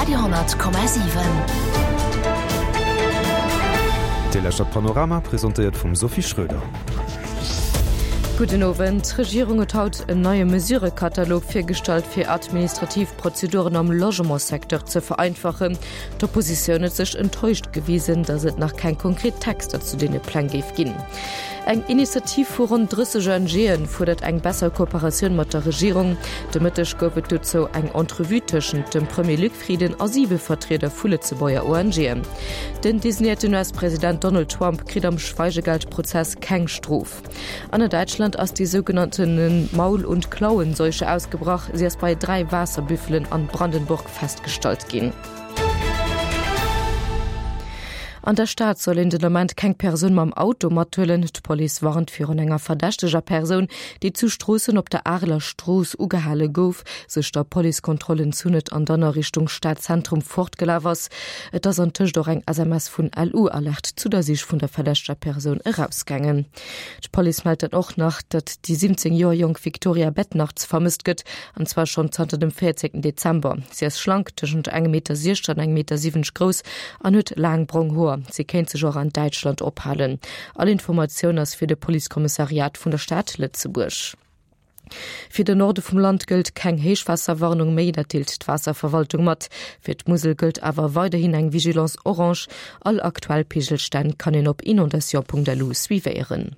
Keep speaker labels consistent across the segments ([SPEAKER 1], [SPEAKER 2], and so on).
[SPEAKER 1] Radio,7.
[SPEAKER 2] Dir lauschtert Panorama, presentéiert vum Sophie Schröder.
[SPEAKER 3] Gudden Owend. D'Regierung huet haut en neie Mesurëkatalog virgestallt, fir administrativ Prozeduren am Logementssecteur ze vereinfachen. D'Oppositioun huet sech enttäuscht gewisen, datt et nach keng konkret Texter zu deene Pläng géif ginn. Eng Initiativ vu ronn 30 ONGe fuerdert eng besser Kooperatioun mat der Regierung. De Mëtteg gouf et dozou eng Entrevue tëschent dem Premier Luc Frieden a siwe Vertrieder vu Lëtzebuerger ONGen. Den designéierten US-President Donald Trump kritt am Schweigegeldprozess keng Strof. An a Däitschland ass déi sougenannte Maul und Klauenseuche ausgebrach. Si ass bei 3 Waasserbüffelen an Brandenburg festgestallt ginn. An der Stad soll een den Ament keng Persoun mam Auto mathuelen. D'Police warnt virun enger verdächteger Persoun, déi zu Stroossen op der Areler Strooss ugehale gouf, sech der Policekontroll entzunn huet an dann a Richtung Stadzentrum fortgelaf ass. Et ass antëscht och eng SMS vun LU-Alert zu der Sich vun der verdächteger Persoun erausgaangen. D'Police mellt dann och nach, datt déi 17 Joer jonk Victoria Bednarz vermësst gëtt, an zwar schonn zanter dem 14 Dezember. Si ass schlank, tëschent engem Meter 60 an engem Meter 70 grouss an huet laang brong Hoer. Si kéint sech och an Däitschland ophalen. All Informatioun ass fir de Policekommissariat vun der Stad Lëtzebuerg. Fir den Norde vum Land gëllt keng Héichwaasserwarnung méi, dat deelt d'Waasserverwaltung mat. Fir d'Musel gëllt awer weiderhin eng Vigilance orange. All aktuell Peegelstänn kann een op inondation.lu suivéieren.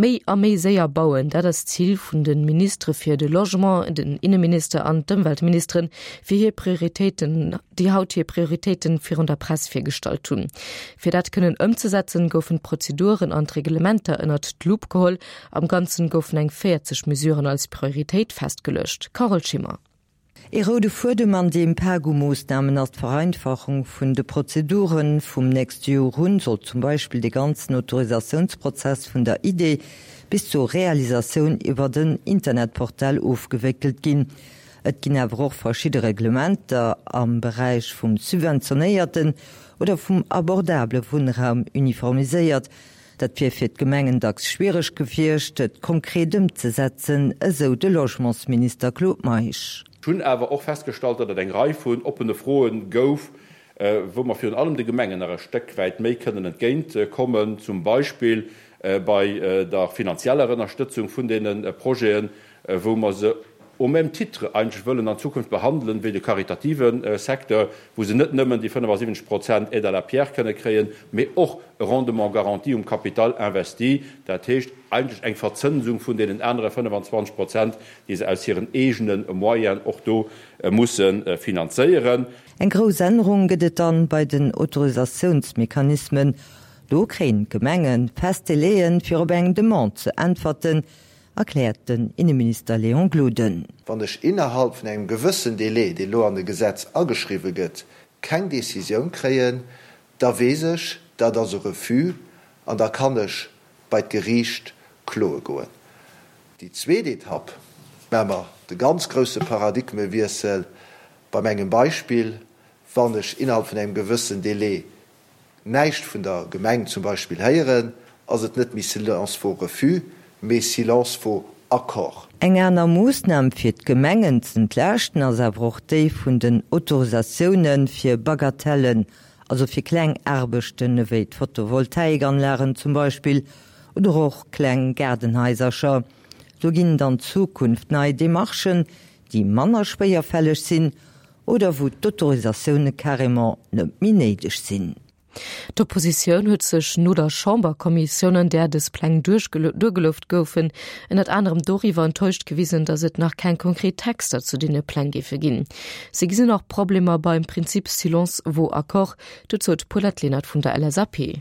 [SPEAKER 3] Méi a méi séier bauen, dat ass d'Zil vun de Ministere fir de Logement, den Inneminister an d'Ëmweltministeren, fir hir Prioritéiten, déi haut hir Prioritéiten virun der Press virgestallt hunn. Fir dat kënnen ëmzesetzen, goufen d'Prozeduren an d'Reglementer ënnert d'Lupp geholl Am Ganzen goufen eng 40 Mesuren als Prioritéit festgeluecht. Carole Schimmer.
[SPEAKER 4] Ee roude Fuedem an deem Pak u Moossnamen ass d'Vereinfachung vun de Prozeduren. Vum nächste Joer un soll zum Beispill de ganzen Autorisatiounsprozess vun der Idee bis zur Realisatioun iwwert en Internetportal ofgewéckelt ginn. Et ginn awer och verschidde Reglementer am Beräich vum subventionéierten oder vum abordabele Wunnraum uniformiséiert. Dat wier fir d'Gemengen dacks schwiereg gewiescht, et konkret ëmzesetzen, esou de Logementsminister Claude Meisch.
[SPEAKER 5] Ech hunn awer och festgestallt, datt et eng Rei vun oppene Froe gouf, wou mer virun allem de Gemengen nach e Stéck wäit méi kënnen entgéint kommen, zum Beispill bei der finanzieller Ënnerstëtzung vun deene Projeten, wou mer se au même titre eigentlech wëllen an Zukunft behandelen wéi de karitative Secteur, wou se net nëmmen déi 75 Prozent Aide à la pierre kënne kréien, mee och e Rendement garanti um Capital investi, dat heescht eigentlech eng Verzënsung vun deenen anere 25 Prozent, déi se aus hiren eegene Moyenen och do musse finanzéieren.
[SPEAKER 4] Eng grouss Ännerung gëtt et dann bei den Autorisatiounsmechanismen. Do kréien d'Gemenge fest Délaië fir op eng Demande ze äntwerten, erkläert den Inneminister Léon Gloden.
[SPEAKER 6] Wann ech innerhalb vun engem gewëssen Délai, dee lo an e Gesetz ageschriwwe gëtt, keng Décisioun kréien, da weess ech, dat ass e Refus an da kann ech bei d'Geriicht kloe goen. Déi zweet Etapp maache mer de ganz grousse Paradigmewiessel beim engem Beispill, Wann ech innerhalb vun engem gewëssen Délai näischt vun der Gemeng zum Beispill héieren, ass et net méi silence vaut refus, mee silence vaut accord.
[SPEAKER 4] Eng aner Moossnam fir d'Gemengen z'entlaaschten ass awer och déi vun den Autorisatioune fir Bagatellen, also fir kleng Aarbechten ewéi d'Photovoltaikanlagen zum Beispill oder och kleng Gaardenhaisercher. Do ginn et an Zukunft nei Demarchen, déi manner schwéierfälleg sinn oder wou d'Autorisatioune carrément net méi néideg sinn.
[SPEAKER 3] D'Oppositioun huet sech no der Chamberkommissioun, an där dës Pläng duergelueft goufen, ënnert anerem doriwwer enttäuscht gewisen, datt et nach keng konkret Texter zu deene Pläng géife ginn. Si gesinn och Problemer beim Prinzip silence vaut accord, dozou d'Paulette Lenert vun der LSAP.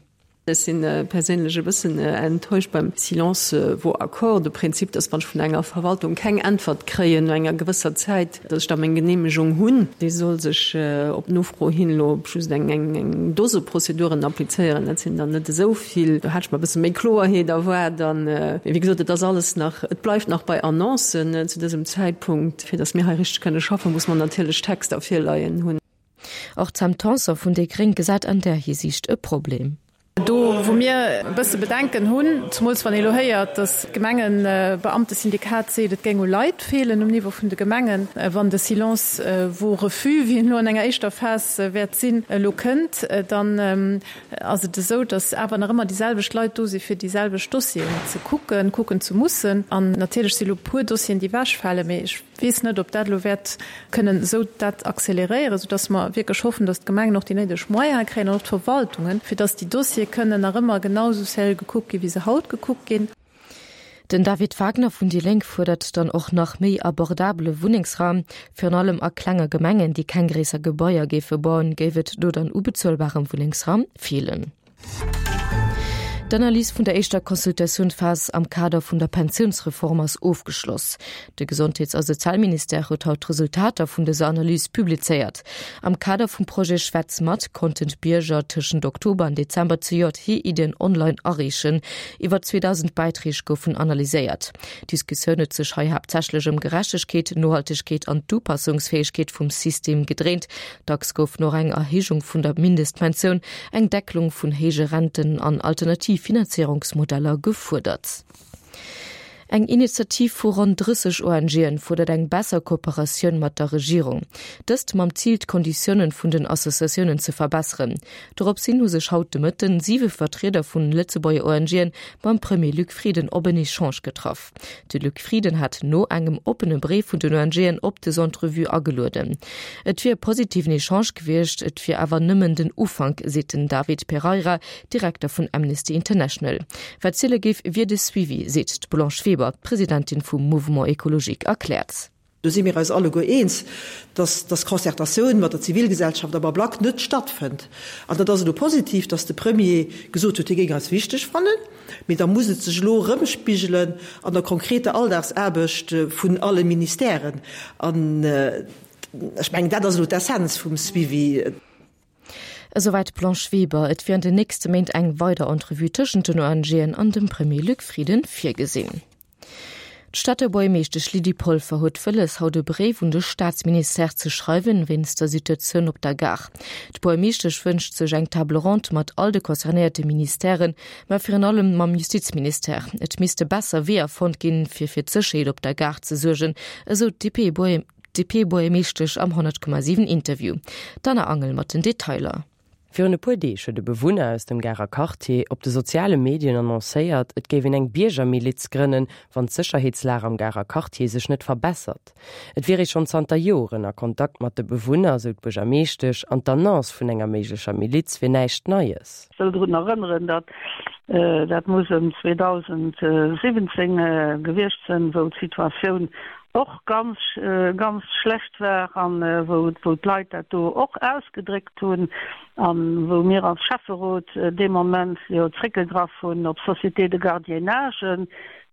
[SPEAKER 7] Ech si perséinlech e bëssen enttäuscht beim Silence vaut accord, de Prinzip, dass wann ech vun enger Verwaltung keng Äntwert kréien no enger gewësser Zäit, dass ech da meng Genehmegung hunn. Déi soll sech op Nofro hin elo op just eng Dose Prozeduren applizéieren. Dat sinn der net esou vill. Do hat ech mer e bësse méi Kloerheet erwaart. An, mee wéi gesot, et ass alles nach, et bleift nach bei Annoncen zu dësem Zäitpunkt. Fir dass mir hei richteg kënne schaffen, muss mer natierlech Texter virleien hunn.
[SPEAKER 3] Och d'Sam Tanson vun déi Gréng gesäit an där Hisiicht e Problem.
[SPEAKER 1] Do wou mir e bësse Bedenken hunn, zumools wann ee elo héiert, datt d'Gemengebeamtesyndikat seet, et géing u Leit feelen um Niveau vun de Gemengen, wann de Silence vaut refus, wéi en elo an enger éischter Phas wäert sinn, elo kënnt, dann ass et esou, datt awer nach ëmmer déi selwecht Leit do si fir déi selwecht Dossieren ze kucken, kucken ze mussen. An natierlech si elo e puer Dossieren, déi ewechfalen, mee ech weess net, ob dat elo wäert kënnen esou dat accéléréieren, soudass mer wierklech hoffen, datt d'Gemengen och déi néideg Moyene kréien an och d'Verwaltungen, fir datt déi Dossiere kënnen nach ëmmer genau esou sérieux gekuckt ginn, wéi se haut gekuckt ginn.
[SPEAKER 3] Den David Wagner vun déi Lénk fuerdert dann och nach méi abordabele Wunnengsraum. Virun allem a klenge Gemengen, déi keng gréisser Gebaier géife bauen, géif et do dann u bezuelbarem Wunnengsraum feelen. D'Analys vun der éischter Consultatiounphas am Kader vun der Pensiounsreform ass ofgeschloss. De Gesondheets a Sozialministère huet haut d'Resultater vun dëser Analys publizéiert. Am Kader vum Projet Schwätz mat konnten d'Bierger tëschent Oktober an Dezember zejoert hir Iddien online areechen. Iwwer 2.000 Bäitreeg goufen analyséiert. D'Diskussioun huet sech hei haaptsächlech ëm Gerechtegkeet, Nohaltegkeet an d'Upassungsfäegkeet vum System gedréint. Dacks goufen och eng Erhéijung vun der Mindestpensioun, eng Deckelung vun héije Renten an alternativ Finanzéierungsmodeller gefuerdert. Eng Initiativ vu ronn 30 ONGen fuerdert eng besser Kooperatioun mat der Regierung. Dëst mam Zil d'Konditiounen vun den Associatiounen ze verbesseren. Dorops hin hu sech haut de Mëtten siwe Vertrieder vun Lëtzebuerger ONGen mam Premier Luc Frieden op en Echange getraff. De Luc Frieden hat no engem oppene Bréif vun den ONGen op des Entrevue agelueden. Et wier e positiven Echange gewiescht, et wier awer nëmmen den Ufank, seet den David Pereira, Direkter vun Amnesty International. Wat ziele géif, wier de Suivi, seet d'Blanche Weber, d'Presidentin vum Mouvement Ecologique erkläert.
[SPEAKER 8] Do si mir eis alleguer eens, dass dass Concertatioun mat der Zivilgesellschaft am Ablack net stattfënnt. An dat ass elo positiv, dass de Premier gesot huet, hie géing eis wichteg fannen, mee da muss et sech elo erëmspigelen an der konkreter Alldagsaarbecht vun alle Ministèren. An ech mengen, dat ass elo d'Essenz vum Suivi.
[SPEAKER 3] Esouwäit d'Blanche Weber. Et wier an den nächste Méint eng weider Entrevue tëschent den ONGen an dem Premier Luc Frieden virgesinn. D'Stater Buergermeeschtesch Lydie Polfer huet wëlles, haut e Bréif un de Staatsministère ze schreiwen, wéinst der Situatioun op der Gare. D'Buergermeeschtesch wënscht sech eng Table ronde mat all de concernéierte Ministèren, mä virun allem mam Justizministère. Et misste besser Weeër fonnt ginn, fir fir d'Sécherheet op der Gare ze suergen, esou d'DP-Buergermeeschtesch am 100,7 Interview. D'Anna Angel mat den Detailer.
[SPEAKER 9] Virun e puer Deeg huet e Bewunner aus dem Garer Quartier op de soziale Medien annoncéiert, et géif een eng Biergermiliz grënnen, wann d'Sécherheetslag am Garer Quartier sech net verbessert. Et wier ee schonn zanter Joren a Kontakt mat de Bewunner, sou d'Buergermeeschtesch, an d'Annonce vun enger méiglecher Miliz wier näischt Neies.
[SPEAKER 10] Ech wëll drun erënneren, datt, dat muss ëm 2017 gewiescht sinn, wou d'Situatioun och ganz, ganz schlecht war an wou d'Leit dat do och ausgedréckt hunn a wou mir als Schäfferot dee Moment jo zréckgegraff hunn op Sociétés de gardiennage,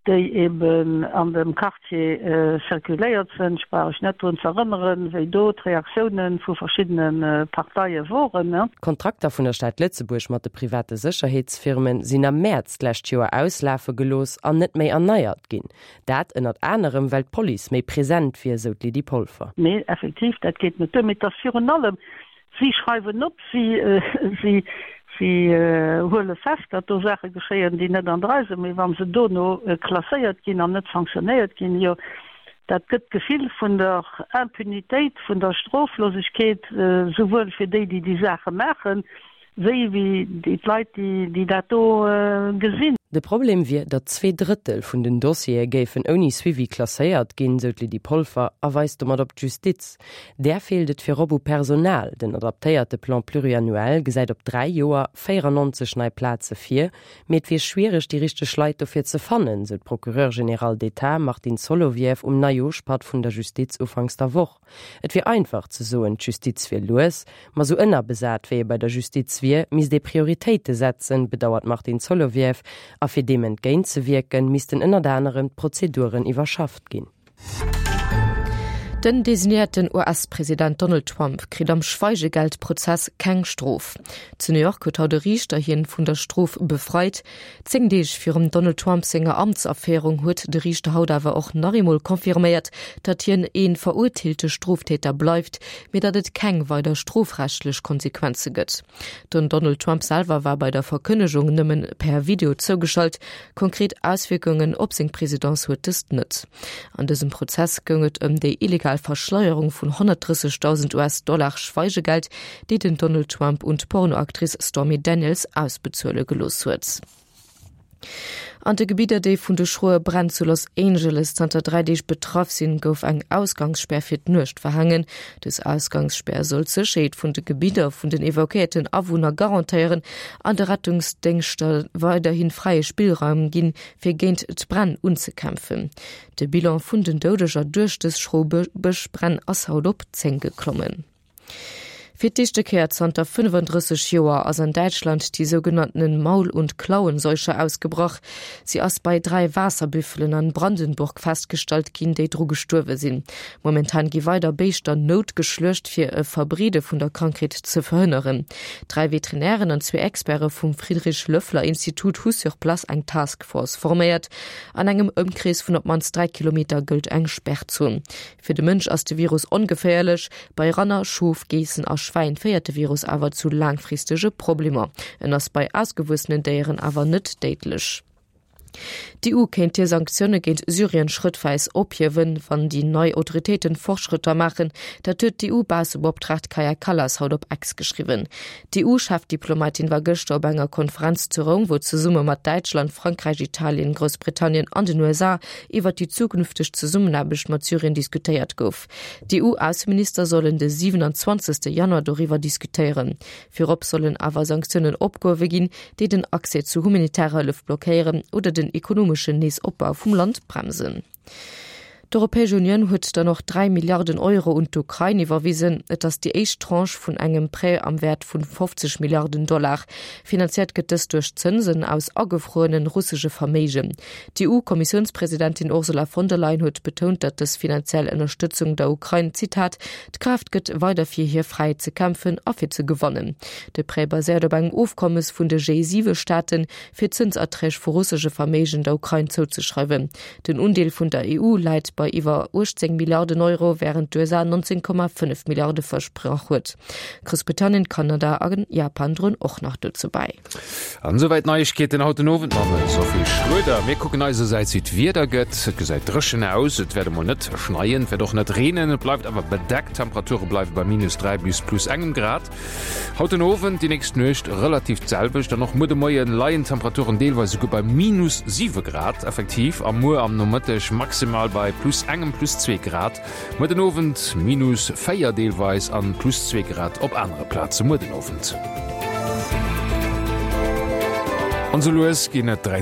[SPEAKER 10] déi eben an dem Quartier circuléiert sinn. Ech brauch Iech net drun ze erënneren, wéi do d'Reaktiounen vu verschiddene Parteie woren.
[SPEAKER 9] D'Kontrakter vun der Stad Lëtzebuerg mat de private Sécherheetsfirmen sinn am Mäerz d'lescht Joer auslafe gelooss an net méi erneiert ginn. Dat ënnert anerem, well d'Police méi present wier, sou d'Lydie Polfer.
[SPEAKER 10] Nee, effektiv, dat geet net duer. Mee et ass virun allem, si schreiwen op, si, si, si huele fest, datt do Saache geschéien, déi net an der Rei sinn. Mee wa se dono klasséiert ginn an net sanktionéiert ginn, jo, dat gëtt d'Gefill vun der Impunitéit, vun der Stroflosegkeet, souwuel fir déi, déi déi Saache maachen, Wéi wéi d'Leit, déi dat do gesinn.
[SPEAKER 9] De Problem wier, datt 2/3 vun den Dossiere géifen ouni Suivi klasséiert ginn, sou d'Lydie Polfer a weist domat op d'Justiz. Där feelt et virop u Personal. Den adaptéierte Plan pluriannuel gesäit op 3 Joer 94 nei Plaze vir, mee et wier schwiereg, déi richteg Leit dofir ze fannen, sou d'Procureure générale d'État Martine Solovieff um Neijooschpatt vun der Justiz ufanks der Woch. Et wier einfach ze soen, d'Justiz wier lues, ma sou ënnerbesat wéi ee bei der Justiz wier, misst ee Prioritéite setzen, bedauert d'Martine Solovieff. A fir deem entgéint ze wierken, missten ënnert anerem d'Prozeduren iwwerschafft ginn.
[SPEAKER 3] Den designéierten US-President Donald Trump kritt am Schweigegeldprozess keng Strof. Zu New York huet haut e Riichter hien vun der Strof befreit. 10 Deeg virum Donald Trump senger Amtsaféierung huet de Riichter haut awer och nach eemol confirméiert, datt hien ee verurteelte Stroftäter bleift, mee datt et keng weider strofrechtlech Konsequenze gëtt. Den Donald Trump selwer war bei der Verkënnegung nëmmen per Video zougeschalt. Konkret Auswierkungen op seng Presidence huet dëst net. An dësem Prozess goung et ëm déi illegal Verschleierung vun 130.000 US-Dollar Schweigegeld, déi den Donald Trump un d'Pornoactrice Stormy Daniels ausbezuele gelooss huet. An de Gebidder, déi vun de schroe Bränn zu Los Angeles zanter 3 Deeg betraff sinn, gouf eng Ausgangsspär fir d'Nuecht verhaangen. Dës Ausgangsspär soll d'Sécherheet vun de Gebidder vun den evakuéierten Awunner garantéieren an de Rettungsdéngschter weiderhi fräie Spillraum ginn, fir géint d'Bränn unzekämpfen. De Bilan vun den Doudeger duerch dës schro Bëschbränn ass haut op 10 geklommen. Fir d'éischte Kéier zanter 35 Joer ass an Däitschland déi sougenanntenen Maul und Klauenseuche ausgebrach. Si ass bei 3 Waasserbüffelen an Brandenburg festgestallt ginn, déi dru gestuerwe sinn. Momentan gi weider Béischter noutgeschluecht, fir e Verbreede vun der Krankheet ze verhënneren. Dräi Veterinären an zwee Experte vum Friedrich-Loeffler-Institut hu sur place eng Task Force forméiert. An engem Ëmkrees vun op d'mannst 3 Kilometer gëllt eng Sperrzon. Fir de Mënsch ass de Virus ongeféierlech. Bei Ranner, Schof, Geessen a Schwäin féiert de Virus awer zu laangfristege Problemer. En ass bei ausgewuessenen Déieren awer net déidlech. D'EU kéint hir Sanktioune géint Syrien schrëttweis ophiewen, wann déi nei Autoritéiten Fortschrëtter maachen. Dat huet d'EU-Baussebeoptraagt Kaja Kallas haut op X geschriwwen. D'EU-Chefdiplomatin war gëschter op enger Konferenz zu Roum, wou zesumme mat Däitschland, Frankräich, Italien, Groussbritannien an den USA iwwer déi zukünfteg Zesummenaarbecht mat Syrien diskutéiert gouf. D'EU-Ausseminister sollen de 27. Januar doriwwer diskutéieren. Virop sollen awer Sanktiounen opgehuewe ginn, déi den Accès zu humanitärer Hëllef blockéieren oder den ekonomeschen Neesopbau vum Land bremsen. D'Europäesch Unioun huet dann och 3 Milliarden Euro un d'Ukrain iwwerwisen. Et ass déi éischt Tranche vun engem Prêt am Wäert vun 50 Milliarden Dollar. Finanziert gëtt dëst duerch Zënsen aus agefruerene russesche Verméigen. D'EU-Kommissiounspresidentin Ursula von der Leyen huet betount, datt dës finanziell Ënnerstëtzung der Ukrain, Zitat, d'Kraaft gëtt, weider fir hir Fräiheet ze kämpfen a fir ze gewannen. De Prêt baséiert op engem Ofkommes vun de G7-Staaten, fir Zënserträg vu russesche Verméigen der Ukrain zouzeschreiwen. Den Undeel vun der EU läit bei iwwer 18 Milliarden Euro, wärend d'USA 19,5 Milliarde versprach huet. Groussbritannien, Kanada a Japan droen och nach dozou bäi.
[SPEAKER 11] An esouwäit d'Neiegkeeten haut den Owend mam Sophie Schroeder. Mir kucken eisersäits wéi d'Wieder gëtt. Et gesäit dréchen aus, et wäert emol net schneien, et wäert och net reenen, et bleift awer bedeckt. D'Temperature bleiwe bei minus 3 bis plus engem Grad. Haut den Owend, déi nächst Nuecht relativ d'selwecht an och muer de Moie leien d'Temperaturen deelweis esouguer bei minus 7 Grad effektiv a muer am Nomëtteg maximal bei plus engem, plus zwee Grad. Muer den Owend minus 4 deelweis an plus 2 Grad op anere Plaze muer den Owend. An sou lues ginn et 13.